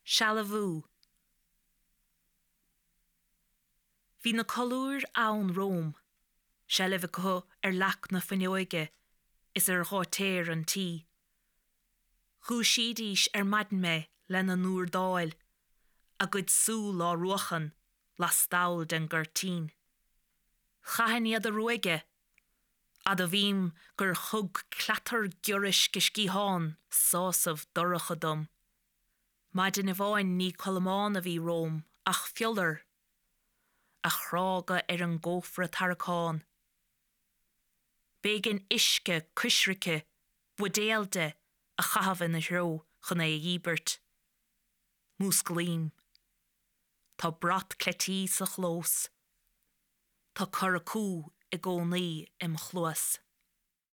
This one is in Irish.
Sealbhú. Bhí na colúir ann romham, seilbh acu ar leac na fuinneoige is ar gháitéar an tí. Dhúisídís ar maidin mé lena n-úrdáil, a gcuid súl á ruachan lastall den gcuirtín. Chaithfinn iad a ruaigeadh, admhaím gur thug cleatar giorraisc a sciathán sásamh dorcha dom. Maidin amháin ní Colmán a bhí romham ach fiolar, a chrága ar an gcófra tarraiceán. B'éigean uisce coisricthe, buidéal de, a chaitheamh ina threo chun é a dhíbirt. Músclaím. Tá brat cleití sa chlós. Tá curacú i gcónaí im chluas.